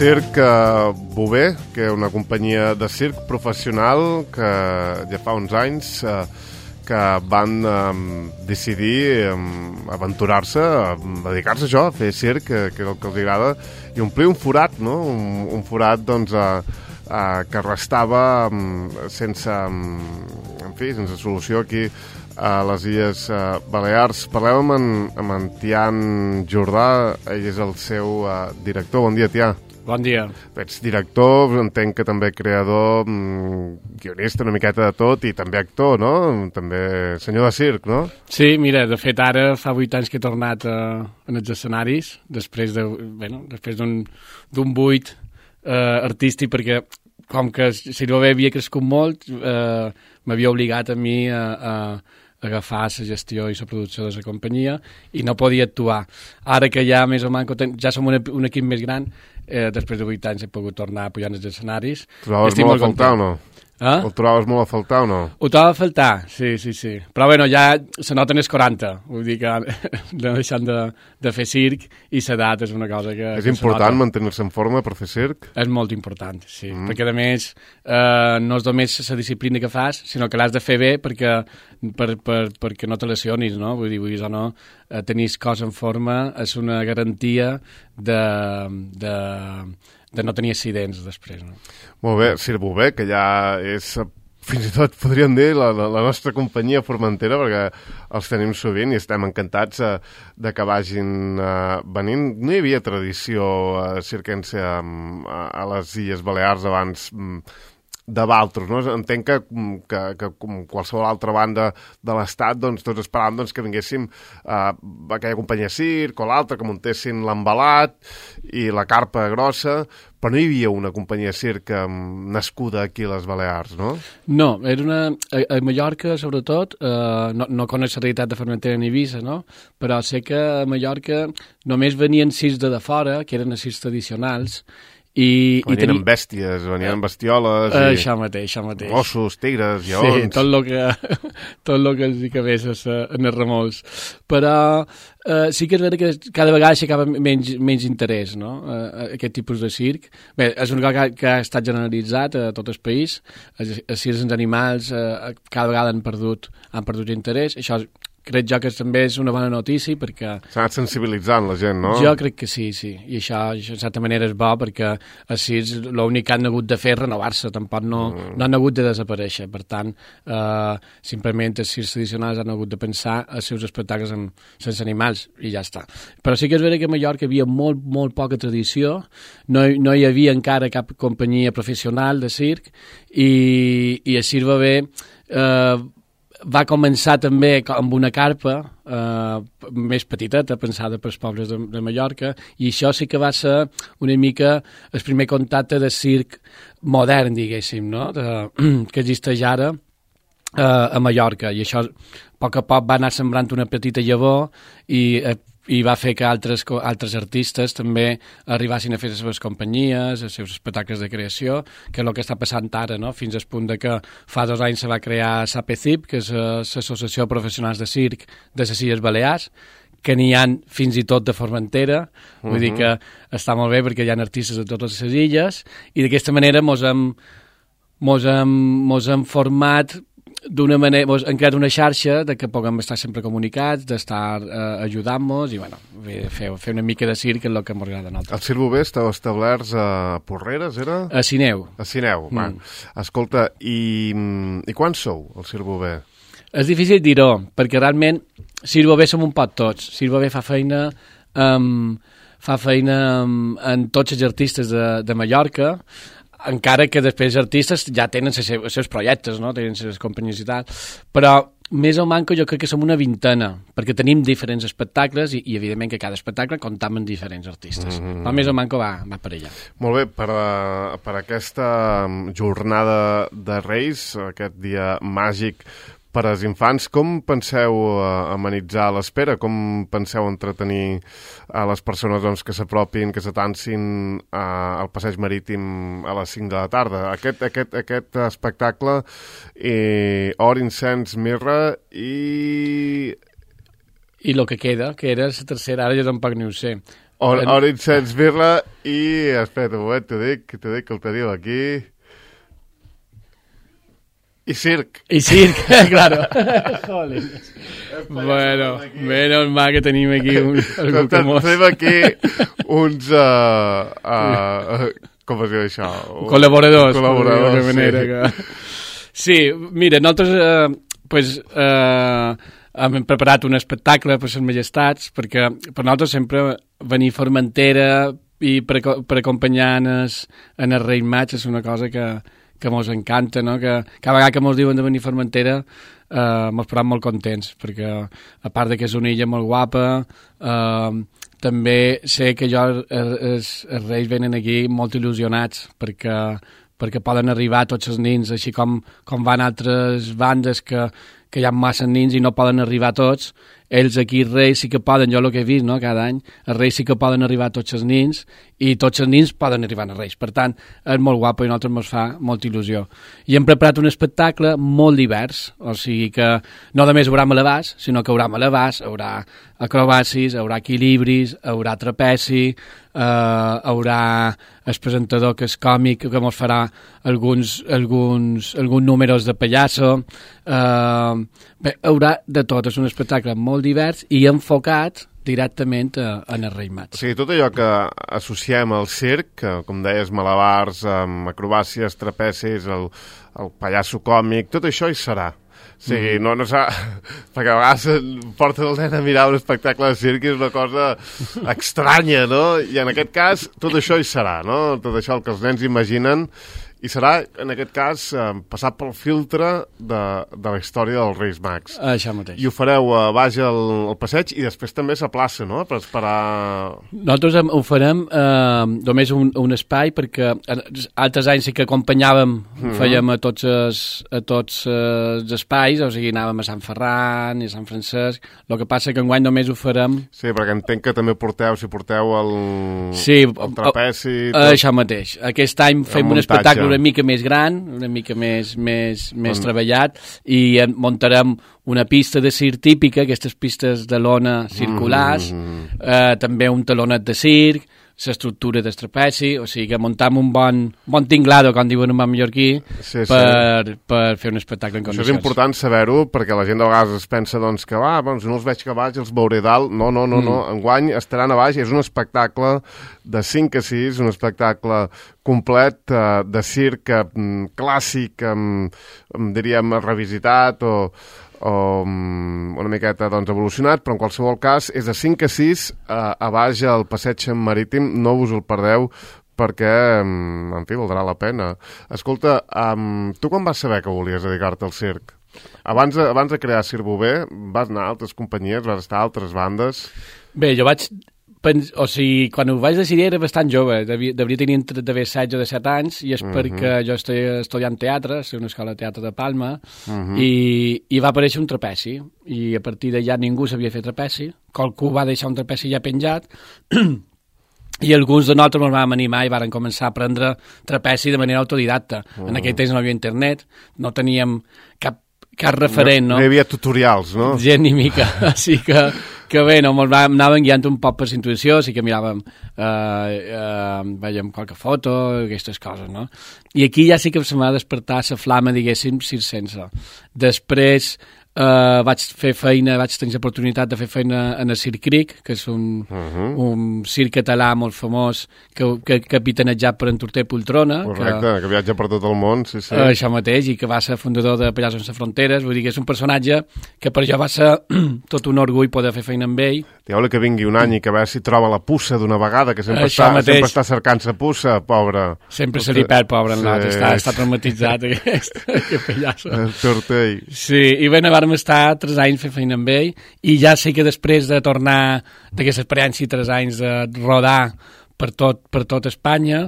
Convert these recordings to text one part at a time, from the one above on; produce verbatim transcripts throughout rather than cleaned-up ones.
Circ eh, Bover, que és una companyia de circ professional que ja fa uns anys eh, que van eh, decidir eh, aventurar-se, a dedicar-se a això, a fer circ, que, que és el que els agrada, i omplir un forat, no? Un, un forat, doncs, eh, eh, que restava eh, sense, eh, en fi, sense solució aquí a les Illes eh, Balears. Parlem amb en, amb en Tian Jordà, ell és el seu eh, director. Bon dia, Tià. Bon dia. Ets director, entenc que també creador, guionista, una miqueta de tot, i també actor, no? També senyor de circ, no? Sí, mira, de fet ara fa vuit anys que he tornat a, en els escenaris, després de, bueno, després d'un d'un buit eh, artístic, perquè com que Circ Bover havia crescut molt, eh, m'havia obligat a mi a, a agafar la gestió i la producció de la companyia i no podia actuar. Ara que ja més o menys ja som un, un equip més gran, eh, després de vuit anys he pogut tornar a pujar als escenaris. Trobaves molt a faltar o no? Eh? Ho trobaves molt a faltar o no? Ho trobava a faltar, sí, sí, sí. Però bueno, ja se noten els quaranta, vull dir que no deixant de, de fer circ i l'edat és una cosa que... És que important mantenir-se en forma per fer circ? És molt important, sí, mm. perquè a més eh, no és només la disciplina que fas, sinó que l'has de fer bé perquè, per, per, perquè no te lesionis, no? Vull dir, vull dir, no, eh, tenir cos en forma és una garantia de... de de no tenir accidents després. No? Molt bé, Circ Bover, que ja és, fins i tot podríem dir, la, la, la nostra companyia formentera, perquè els tenim sovint i estem encantats eh, de que vagin eh, venint. No hi havia tradició eh, circense a, a les Illes Balears abans de Valtros, no? Entenc que, que, que com qualsevol altra banda de l'Estat, doncs, tots esperàvem doncs, que vinguéssim eh, aquella companyia circ o l'altra, que muntessin l'embalat i la carpa grossa, però no hi havia una companyia circ eh, nascuda aquí a les Balears, no? No, era una... A, a Mallorca, sobretot, eh, no, no conec la realitat de Formentera ni Eivissa, no? Però sé que a Mallorca només venien circs de, de fora, que eren els circs tradicionals, I, venien i teni... amb bèsties, venien amb bestioles uh, i això mateix, això mateix. Gossos, tigres, lleons. Sí, tot el que, tot el que els hi cabés en els remolcs. Però uh, sí que és vera que cada vegada aixecava menys, menys interès, no? Uh, aquest tipus de circ. Bé, és una cosa que, que ha estat generalitzat a tot el país. Els, els circs en animals uh, cada vegada han perdut, han perdut interès. Això crec jo que també és una bona notícia perquè... S'ha anat sensibilitzant la gent, no? Jo crec que sí, sí. I això, això de certa manera és bo perquè així l'únic que han hagut de fer és renovar-se, tampoc no, mm. no han hagut de desaparèixer. Per tant, eh, simplement els circs tradicionals han hagut de pensar els seus espectacles amb, sense animals i ja està. Però sí que és vera que a Mallorca hi havia molt, molt poca tradició, no, no hi havia encara cap companyia professional de circ i, i el Circ Bover eh, va començar també amb una carpa eh, més petiteta, pensada pels pobles de, de Mallorca, i això sí que va ser una mica el primer contacte de circ modern, diguéssim, no? de, que existeix ara eh, a Mallorca, i això a poc a poc va anar sembrant una petita llavor i eh, i va fer que altres, altres artistes també arribassin a fer les seves companyies, els seus espectacles de creació, que és el que està passant ara, no? Fins al punt de que fa dos anys se va crear l'APCIP, que és l'Associació de Professionals de Circ de les Illes Balears, que n'hi ha fins i tot de Formentera, uh-huh. Vull dir que està molt bé perquè hi ha artistes de totes les illes, i d'aquesta manera mos hem, mos hem, mos hem format d'una manera, doncs, hem creat una xarxa de que puguem estar sempre comunicats, d'estar eh, ajudant-nos i, bueno, fer, fer una mica de circ és el que m'agrada a nosaltres. El Circ Bover estava establerts a Porreres, era? A Sineu. A Sineu, mm. va. Escolta, i, i quan sou, el Circ Bover? És difícil dir-ho, perquè realment Circ Bover som un pot tots. Circ Bover fa feina um, fa feina um, en tots els artistes de, de Mallorca, encara que després els artistes ja tenen els seus, els seus projectes, no? Tenen les companyies i tal, però més o manco jo crec que som una vintena, perquè tenim diferents espectacles i, i evidentment que cada espectacle comptam amb diferents artistes, mm-hmm. però més o manco va, va per allà. Molt bé, per, a, per aquesta jornada de Reis, aquest dia màgic per als infants, com penseu amenitzar l'espera? Com penseu entretenir a les persones doncs, que s'apropin, que s'atansin al passeig marítim a les cinc de la tarda? Aquest, aquest, aquest espectacle, eh, or, incens, mirra i... I el que queda, que era la tercera, ara jo tampoc ni ho sé. Orange Sense Birla i... Espera un moment, t'ho dic, t'ho dic que el teniu aquí... I circ. I circ, claro. Joder. Bueno, menos mal que tenim aquí un, algú que mos... Tenim aquí uns... Uh, uh, com es diu això? Col·laboradors. Col·laboradors, manera sí. Que... Sí, mira, nosaltres eh, pues, eh, hem preparat un espectacle per les majestats, perquè per nosaltres sempre venir a Formentera i per, per acompanyar en el, en el Reis Maig és una cosa que... que mos encanta, no? Que cada vegada que mos diuen de venir a Formentera eh, mos posem molt contents, perquè a part de que és una illa molt guapa, eh, també sé que jo els, els reis venen aquí molt il·lusionats, perquè, perquè poden arribar tots els nins, així com, com van altres bandes que, que hi ha massa nins i no poden arribar tots. Ells aquí, els reis, sí que poden, jo el que he vist, no?, cada any, els reis sí que poden arribar a tots els nins i tots els nins poden arribar als reis. Per tant, és molt guapo i a nosaltres ens fa molta il·lusió. I hem preparat un espectacle molt divers, o sigui que no només hi haurà malabars, sinó que hi haurà malabars, hi haurà acrobàcies, hi haurà equilibris, hi haurà trapeci, eh, hi haurà el presentador que és còmic, que ens farà alguns, alguns, alguns números de pallasso. Eh, bé, hi haurà de tot, és un espectacle molt divers i enfocat directament a, a el Reis Maig. O sigui, tot allò que associem al circ, que, com deies, malabars, amb acrobàcies, trapecis, el, el pallasso còmic, tot això hi serà. O sigui, mm. no, no s'ha... Perquè a vegades porten el nen a mirar un espectacle de circ i és una cosa estranya, no? I en aquest cas, tot això hi serà, no? Tot això el que els nens imaginen i serà, en aquest cas, eh, passat pel filtre de, de la història dels Reis Mags. Això mateix. I ho fareu a baix al, al passeig i després també a la plaça, no?, per esperar... Nosaltres ho farem eh, només un, un espai, perquè altres anys sí que acompanyàvem, mm-hmm. fèiem a tots, els, a tots els espais, o sigui, anàvem a Sant Ferran i a Sant Francesc, el que passa que enguany només ho farem... Sí, perquè entenc que també porteu, si porteu el, sí, el trapeci... Tot. Això mateix. Aquest any fem un espectacle una mica més gran, una mica més, més, més treballat, i muntarem una pista de circ típica, aquestes pistes de lona circulars, mm. eh, també un talonet de circ, l'estructura del trapeci, o sigui que muntam un bon, bon tinglado, com diuen en mallorquí, sí, per, sí. per fer un espectacle en condicions. Això és important saber-ho, perquè la gent de vegades es pensa doncs, que va, doncs, no els veig que a baix, els veuré dalt. No, no, no, mm. no. Enguany estaran a baix, és un espectacle de cinc a sis, un espectacle complet eh, de circ eh, clàssic, eh, diríem revisitat o... o una miqueta doncs, evolucionat, però en qualsevol cas és de cinc a sis eh, a baix al passeig marítim, no us el perdeu perquè, en fi, valdrà la pena. Escolta, um, tu quan vas saber que volies dedicar-te al circ? Abans de, abans de crear Circ Bover, vas anar a altres companyies, vas estar a altres bandes? Bé, jo vaig... Pens, o sigui, quan ho vaig decidir era bastant jove, devia, devia tenir entre d'haver setze o disset anys, i és uh-huh. perquè jo estic estudiant teatre, a una escola de teatre de Palma, uh-huh. i, i va aparèixer un trapeci, i a partir d'allà ningú sabia fer trapeci, qualcú va deixar un trapeci ja penjat, i alguns de nosaltres ens vam animar i varen començar a aprendre trapeci de manera autodidacta. Uh-huh. En aquell temps no hi havia internet, no teníem cap cap referent, no? No hi havia tutorials, no? Gent ni mica, així que, que bé, no, ens anàvem guiant un poc per la intuïció, sí que miràvem, eh, eh, veiem qualque foto, aquestes coses, no? I aquí ja sí que se m'ha despertat la flama, diguéssim, circense. Després eh, vaig fer feina, vaig tenir l'oportunitat de fer feina en el Circ Cric, que és un, uh-huh. un circ català molt famós, que, que capitanejat per en Torter Poltrona. Correcte, que, que viatja per tot el món, sí, sí. Eh, això mateix, i que va ser fundador de Pallassos Sense Fronteres, vull dir que és un personatge que per jo va ser tot un orgull poder fer feina amb ell. Dieu-li que vingui un any i que a veure si troba la puça d'una vegada, que sempre, està, sempre està cercant la puça, pobre. Sempre se li perd, pobre, en l'altre, sí. està, està traumatitzat aquest, aquest pallasso. El Tortell. Sí, i bé, vam estar tres anys fent feina amb ell, i ja sé que després de tornar d'aquesta experiència tres anys de rodar per tot, per tot Espanya,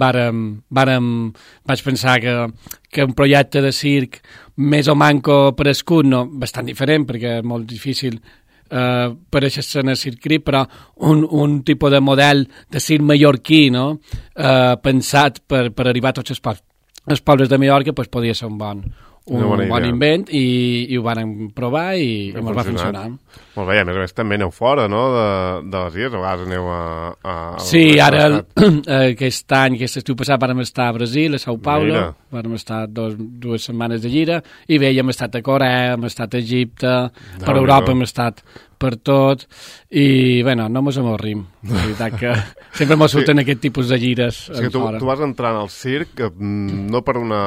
vàrem, vàrem, vaig pensar que, que un projecte de circ més o manco per escut, no, bastant diferent, perquè és molt difícil eh, per aquesta escena Circ Cric, però un, un tipus de model de circ mallorquí, no? eh, pensat per, per arribar a tots els pobles, els pobles de Mallorca, pues, podia ser un bon, un bon invent i, i ho van provar i, i ens va funcionar. Molt bé, i a més a més també aneu fora, no?, de, de les illes, a vegades aneu a... a sí, ara el, aquest any, aquest estiu passat, vam estar a Brasil, a São Paulo, vam estar dos, dues setmanes de gira, i bé, hem estat a Corea, hem estat a Egipte, no, per Europa no. hem estat per tot, i, bueno, no mos amorrim. La veritat que sempre mos surten sí. aquest tipus de gires. És que tu, tu vas entrar al circ no per una,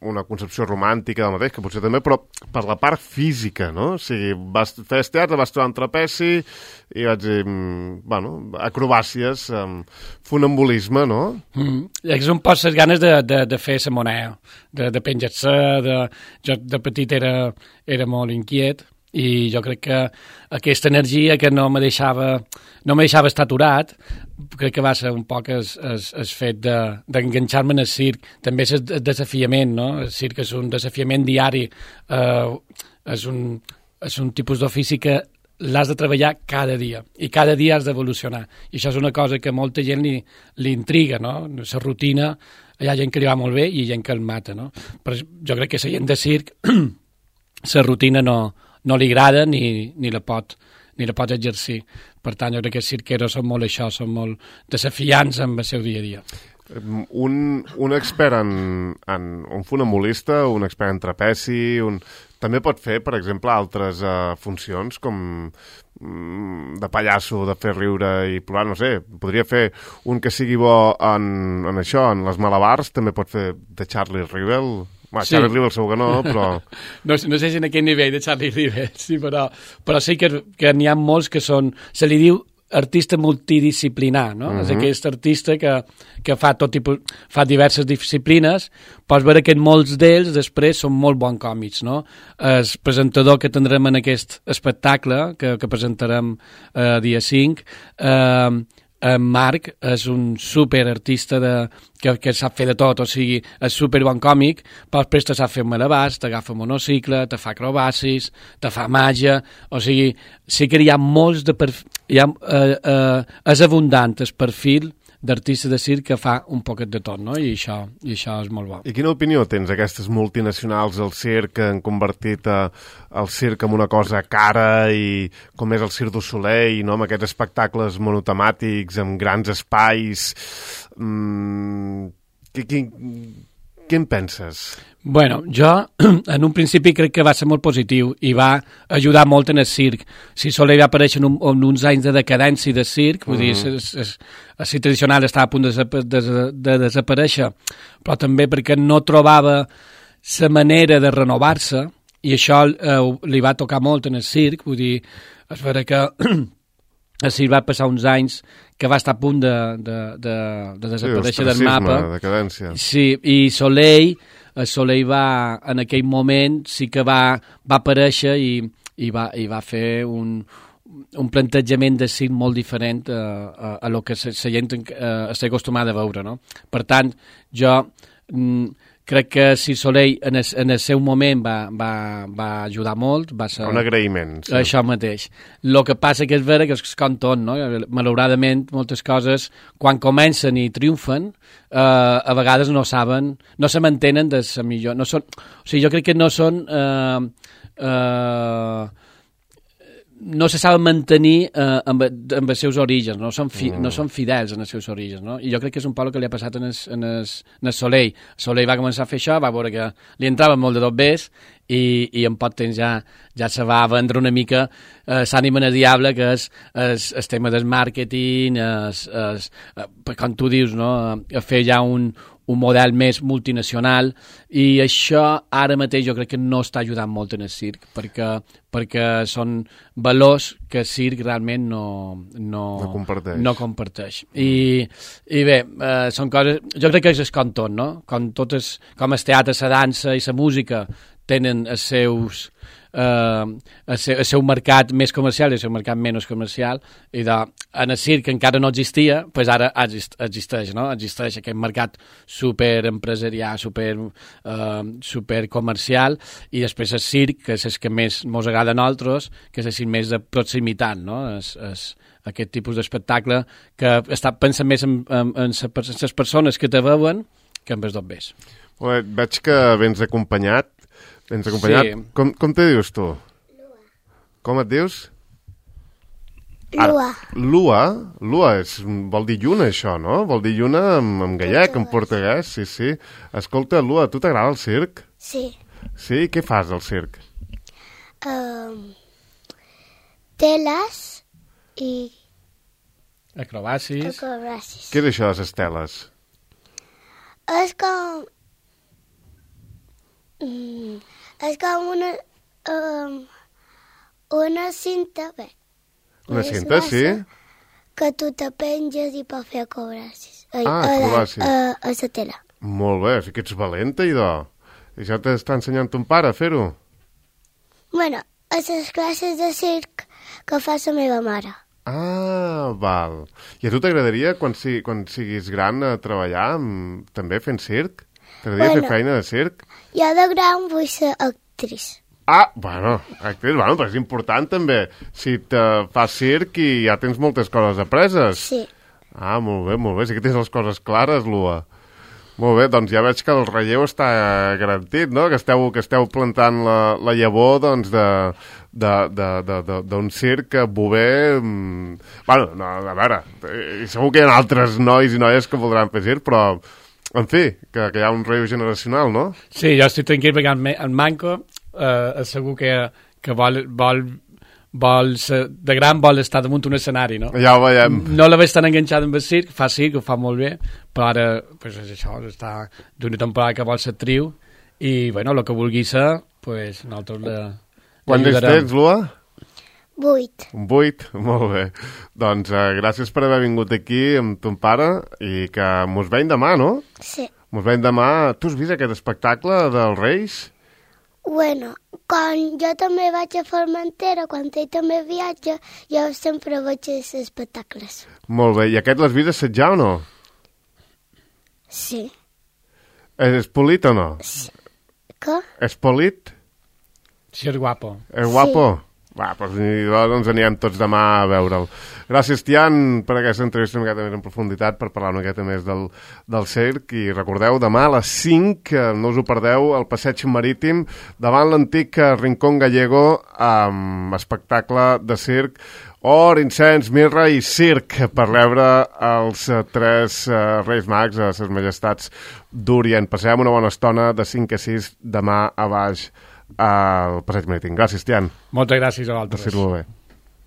una concepció romàntica del mateix, que potser també, però per la part física, no? O sigui, vas fer teatre, vas trobar un trapeci i vaig dir, bueno, acrobàcies, funambulisme, no? Mm. És un poc les ganes de, de, de fer la moneda, de, de penjar-se, de, jo de petit era, era molt inquiet, i jo crec que aquesta energia que no me deixava no me deixava estar aturat, crec que va ser un poc el, el, el fet d'enganxar-me de, en el circ. També és el desafiament, no? El circ és un desafiament diari, eh, és, un, és un tipus d'ofici que l'has de treballar cada dia, i cada dia has d'evolucionar, i això és una cosa que molta gent li, li intriga, no? La rutina, hi ha gent que li va molt bé i gent que el mata, no? Però jo crec que la gent de circ la rutina no no li agrada ni, ni, la pot, ni la pot exercir. Per tant, jo crec que els cirqueros són molt això, són molt desafiants amb el seu dia a dia. Un, un expert en, en un funambulista, un expert en trapeci, un... també pot fer, per exemple, altres uh, funcions com mm, de pallasso, de fer riure i plorar, no sé, podria fer un que sigui bo en, en això, en les malabars, també pot fer de Charlie Rivel. Bueno, sí. Charlie Rivel segur que no, però... no, no sé si en aquell nivell de Charlie Rivel, sí, però, però sí que, que n'hi ha molts que són... Se li diu artista multidisciplinar, no? Uh-huh. És aquest artista que, que fa tot tipus... fa diverses disciplines, pots veure que en molts d'ells després són molt bons còmics, no? El presentador que tindrem en aquest espectacle, que, que presentarem eh, dia cinc, eh, en Marc és un superartista de, que, que sap fer de tot, o sigui, és superbon còmic, però després te sap fer malabars, t'agafa monocicle, te fa acrobàcies, te fa màgia, o sigui, sí que hi ha molts de perfil, hi ha, eh, eh, és abundant el perfil d'artista de circ que fa un poquet de tot, no? I això, i això és molt bo. I quina opinió tens aquestes multinacionals del circ que han convertit a, el circ en una cosa cara i com és el Cirque du Soleil, no? Amb aquests espectacles monotemàtics, amb grans espais... Mm, què, què, què en penses? Bueno, jo en un principi crec que va ser molt positiu i va ajudar molt en el circ. Si Soleil va aparèixer en, un, en uns anys de decadència de circ, vull uh-huh. dir, el circ tradicional estava a punt de, de, de, de desaparèixer, però també perquè no trobava la manera de renovar-se, i això eh, li va tocar molt en el circ, vull dir, és vera que el circ va passar uns anys que va estar a punt de, de, de, de desaparèixer sí, del mapa. Decadència. Sí, i Soleil... el Soleil va, en aquell moment, sí que va, va aparèixer i, i, va, i va fer un, un plantejament de circ molt diferent a, a, a lo que la gent uh, està acostumada a veure, no? Per tant, jo mm, crec que Cirque Soleil en el, en el seu moment va, va, va ajudar molt. Va ser un agraïment. Sí. Això mateix. El que passa que és vera que és com tot, no? Malauradament, moltes coses, quan comencen i triomfen, eh, a vegades no saben, no se mantenen de la millor... No són, o sigui, jo crec que no són... Eh, eh, no se saben mantenir eh, amb, amb els seus orígens, no són, fi, mm. no són fidels en els seus orígens, no? I jo crec que és un poc el que li ha passat en el, en el, en el Soleil. El Soleil va començar a fer això, va veure que li entrava molt de tot bés i, i en poc temps ja, ja se va vendre una mica eh, l'ànima del diable, que és el tema del màrqueting, es, es, eh, com tu dius, no? A fer ja un, un model més multinacional, i això ara mateix jo crec que no està ajudant molt en el circ, perquè, perquè són valors que el circ realment no, no, no comparteix. No comparteix. I, i bé, eh, són coses... Jo crec que és com tot, no? Com, totes, com el teatre, la dansa i la música tenen els seus... Uh, el, seu, el seu mercat més comercial i el seu mercat menys comercial, i de, en el circ encara no existia, pues ara exist, existeix, no? Existeix aquest mercat super empresarial, super, uh, super comercial, i després el circ, que és el que més ens agrada a nosaltres, que és el circ més de proximitat, no? És, és aquest tipus d'espectacle que està pensant més en, en, en les persones que te veuen que en els dobbers. Veig que vens acompanyat. Vens acompanyat. Sí. Com, com te dius tu? Lua. Com et dius? Lua. Lua? Lua és, vol dir lluna, això, no? Vol dir lluna en, en gallec, en portuguès, sí, sí. Escolta, Lua, a tu t'agrada el circ? Sí. Sí? Què fas al circ? Um, teles i Acrobàcies. acrobàcies. Què és això de les teles? És com... Mm, és com una... Um, una cinta, bé. Una és cinta, sí? massa, que tu te penges i pots fer acrobàcies. A, Ah, a, acrobàcies. A, a, a la tela. Molt bé, sí que ets valenta, idò. I ja t'està ensenyant ton pare a fer-ho? Bueno, a les classes de circ que fa la meva mare. Ah, val. I a tu t'agradaria, quan, si, quan siguis gran, a treballar amb, també fent circ? T'agradaria Bueno. fer feina de circ? Jo de gran vull ser actriz. Ah, bueno, actriz, bueno, però és important també. Si te fas circ i ja tens moltes coses apreses. Sí. Ah, molt bé, molt bé. Sí que tens les coses clares, Lua. Molt bé, doncs ja veig que el relleu està garantit, no? Que esteu, que esteu plantant la, la llavor, doncs, de d'un circ bover... mm, Bueno, no, a veure, eh, segur que hi ha altres nois i noies que voldran fer circ, però, en fi, que, que hi ha un relleu generacional, no? Sí, jo estic tranquil perquè en, en Manco eh, segur que, que vol, vol, vol ser, de gran vol estar damunt un escenari, no? Ja ho veiem. No la veig tan enganxada amb el circ, fa circ, ho fa molt bé, però ara pues, és això, està d'una temporada que vol ser actriu i, bueno, el que vulgui ser, pues, nosaltres la, Quants anys tens, Lua? Vuit. Un vuit? Molt bé. Doncs eh, gràcies per haver vingut aquí amb ton pare i que mos veiem demà, no? Sí. Mos veiem demà. Tu has vist aquest espectacle dels Reis? Bueno, quan jo també vaig a Formentera, quan ell també viatja, jo sempre vaig als espectacles. Molt bé. I aquest l'has vist assetjar o no? Sí. És polit o no? Què? És polit? si és guapo. És guapo? Va, doncs, doncs anirem tots demà a veure'l. Gràcies, Tian, per aquesta entrevista una miqueta més en profunditat, per parlar una miqueta més del, del circ. I recordeu, demà a les cinc, no us ho perdeu, al Passeig Marítim, davant l'antic Rincón Gallego, amb espectacle de circ, or, incens, mirra i circ, per rebre els tres uh, Reis Mags a ses majestats d'Orient. Passem una bona estona de cinc a sis demà a baix al Passeig Marítim. Gràcies, Tian. Moltes gràcies a vosaltres. Gràcies, molt bé.